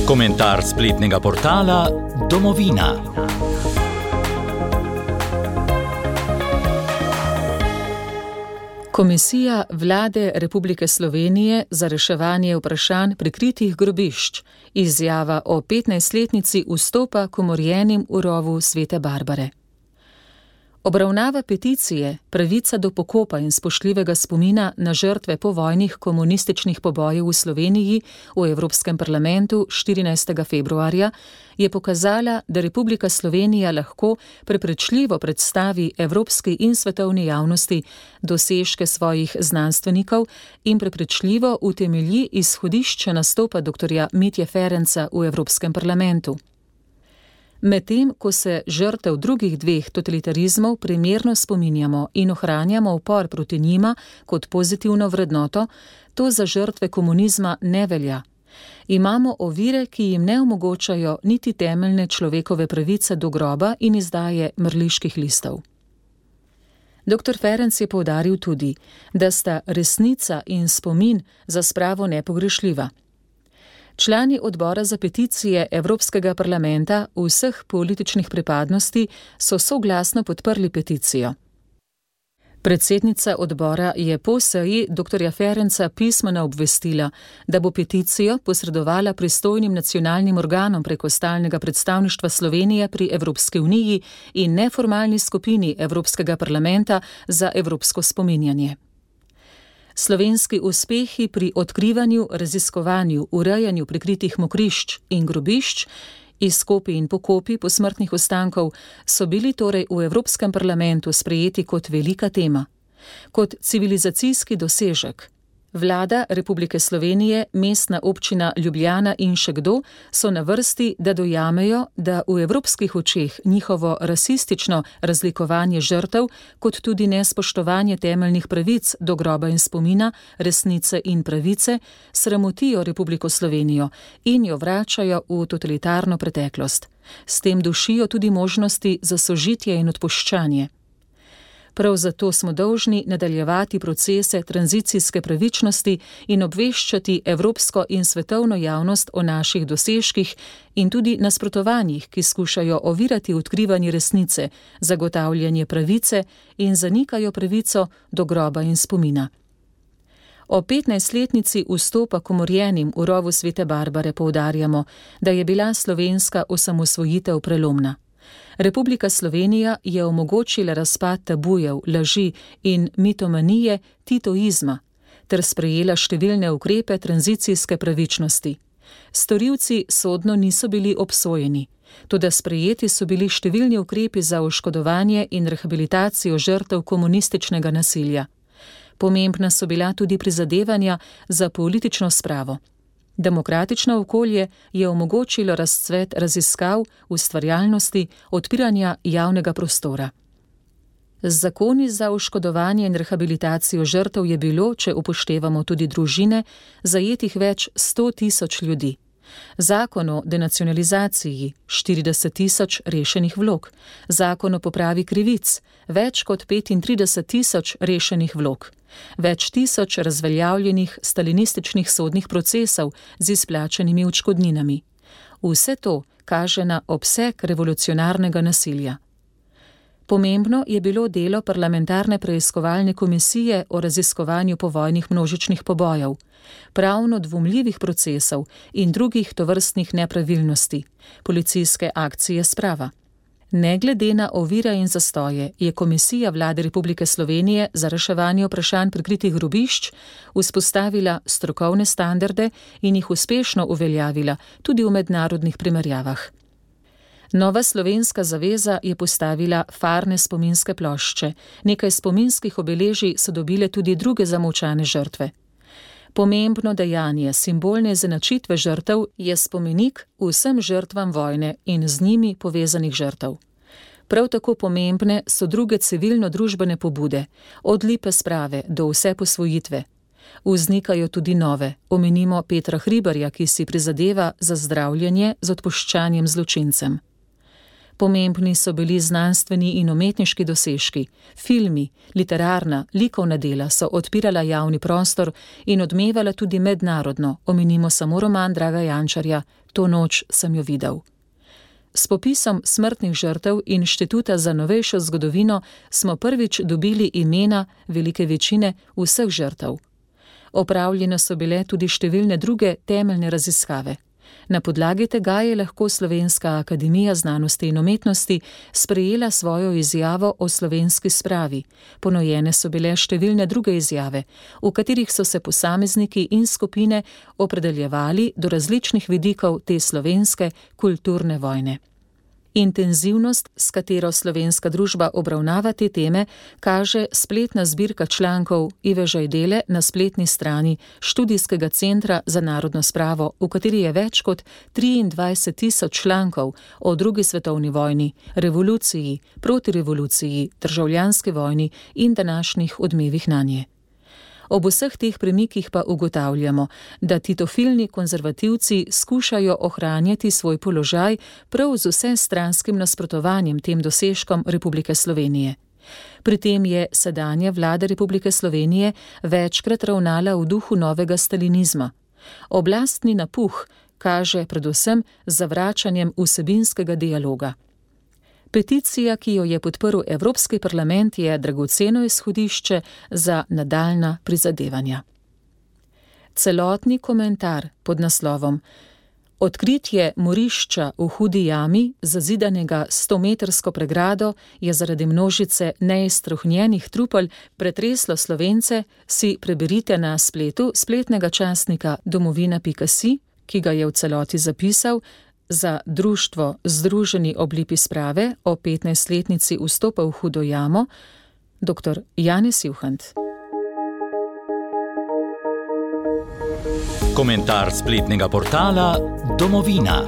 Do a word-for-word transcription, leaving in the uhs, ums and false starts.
Komentar spletnega portala Domovina. Komisija Vlade Republike Slovenije za reševanje vprašanj prikritih grobišč, izjava o petnajstletnici vstopa k umorjenim v rovu Svete Barbare. Obravnava peticije Pravica do pokopa in spoštljivega spomina na žrtve povojnih komunističnih pobojev v Sloveniji v Evropskem parlamentu štirinajstega februarja je pokazala, da Republika Slovenija lahko prepričljivo predstavi evropski in svetovni javnosti dosežke svojih znanstvenikov in prepričljivo utemelji izhodišče nastopa doktorja Mitje Ferenca v Evropskem parlamentu. Medtem, ko se žrtev drugih dveh totalitarizmov primerno spominjamo in ohranjamo upor proti njima kot pozitivno vrednoto, to za žrtve komunizma ne velja. Imamo ovire, ki jim ne omogočajo niti temeljne človekove pravice do groba in izdaje mrliških listov. Doktor Ferenc je poudaril tudi, da sta resnica in spomin za spravo nepogrešljiva. Člani odbora za peticije Evropskega parlamenta vseh političnih pripadnosti so soglasno podprli peticijo. Predsednica odbora je po seji doktorja Ferenca pismeno obvestila, da bo peticijo posredovala pristojnim nacionalnim organom preko stalnega predstavništva Slovenije pri Evropski uniji in neformalni skupini Evropskega parlamenta za evropsko spominjanje. Slovenski uspehi pri odkrivanju, raziskovanju, urejanju prikritih mokrišč in grobišč, izkopi in pokopi posmrtnih ostankov so bili torej v Evropskem parlamentu sprejeti kot velika tema, kot civilizacijski dosežek. Vlada Republike Slovenije, Mestna občina Ljubljana in še kdo so na vrsti, da dojamejo, da v evropskih očeh njihovo rasistično razlikovanje žrtev, kot tudi nespoštovanje temeljnih pravic do groba in spomina, resnice in pravice, sramotijo Republiko Slovenijo in jo vračajo v totalitarno preteklost. S tem dušijo tudi možnosti za sožitje in odpuščanje. Prav zato smo dolžni nadaljevati procese tranzicijske pravičnosti in obveščati evropsko in svetovno javnost o naših dosežkih in tudi nasprotovanjih, ki skušajo ovirati odkrivanje resnice, zagotavljanje pravice in zanikajo pravico do groba in spomina. O petnajstletnici vstopa k umorjenim v rovu Svete Barbare poudarjamo, da je bila slovenska osamosvojitev prelomna. Republika Slovenija je omogočila razpad tabujev, laži in mitomanije titoizma ter sprejela številne ukrepe tranzicijske pravičnosti. Storilci sodno niso bili obsojeni, toda sprejeti so bili številni ukrepi za oškodovanje in rehabilitacijo žrtev komunističnega nasilja. Pomembna so bila tudi prizadevanja za politično spravo. Demokratično okolje je omogočilo razcvet raziskav, ustvarjalnosti, odpiranja javnega prostora. Z zakoni za oškodovanje in rehabilitacijo žrtev je bilo, če upoštevamo tudi družine, zajetih več sto tisoč ljudi. Zakon o denacionalizaciji, štirideset tisoč rešenih vlog, zakon o popravi krivic, več kot petintrideset tisoč rešenih vlog, več tisoč razveljavljenih stalinističnih sodnih procesov z izplačanimi odškodninami. Vse to kaže na obseg revolucionarnega nasilja. Pomembno je bilo delo parlamentarne preiskovalne komisije o raziskovanju povojnih množičnih pobojev, pravno dvomljivih procesov in drugih tovrstnih nepravilnosti, policijske akcije sprava. Ne glede na ovire in zastoje je Komisija Vlade Republike Slovenije za reševanje vprašanj prikritih grobišč vzpostavila strokovne standarde in jih uspešno uveljavila tudi v mednarodnih primerjavah. Nova slovenska zaveza je postavila farne spominske plošče, nekaj spominskih obeležij so dobile tudi druge zamolčane žrtve. Pomembno dejanje simbolne izenačitve žrtev je spomenik vsem žrtvam vojne in z njimi povezanih žrtev. Prav tako pomembne so druge civilno-družbene pobude, od lipe sprave do vse posvojitve. Vznikajo tudi nove, omenimo Petra Hribarja, ki si prizadeva za zdravljenje z odpuščanjem zločincem. Pomembni so bili znanstveni in umetniški dosežki, filmi, literarna, likovna dela so odpirala javni prostor in odmevala tudi mednarodno, omenimo samo roman Draga Jančarja To noč sem jo videl. S popisom smrtnih žrtev Inštituta za novejšo zgodovino smo prvič dobili imena velike večine vseh žrtev. Opravljene so bile tudi številne druge temeljne raziskave. Na podlagi tega je lahko Slovenska akademija znanosti in umetnosti sprejela svojo izjavo o slovenski spravi. Ponujene so bile številne druge izjave, v katerih so se posamezniki in skupine opredeljevali do različnih vidikov te slovenske kulturne vojne. Intenzivnost, s katero slovenska družba obravnava te teme, kaže spletna zbirka člankov Ive Žajdele na spletni strani Študijskega centra za narodno spravo, v kateri je več kot triindvajset tisoč člankov o drugi svetovni vojni, revoluciji, protirevoluciji, državljanski vojni in današnjih odmevih nanje. Ob vseh teh premikih pa ugotavljamo, da titofilni konzervativci skušajo ohranjati svoj položaj prav z vsestranskim nasprotovanjem tem dosežkom Republike Slovenije. Pri tem je sedanja vlada Republike Slovenije večkrat ravnala v duhu novega stalinizma. Oblastni napuh kaže predvsem z zavračanjem vsebinskega dialoga. Peticija, ki jo je podprl Evropski parlament, je dragoceno izhodišče za nadaljnja prizadevanja. Celotni komentar pod naslovom Odkritje morišča v Hudi jami, zazidanega stometrsko pregrado, je zaradi množice neiztrohnjenih trupel pretreslo Slovence, si preberite na spletu spletnega časnika domovina pika si, ki ga je v celoti zapisal za društvo Združeni ob lipi sprave o petnajstletnici vstopa v Hudo jamo, dr. Janez Juhant. Komentar spletnega portala Domovina.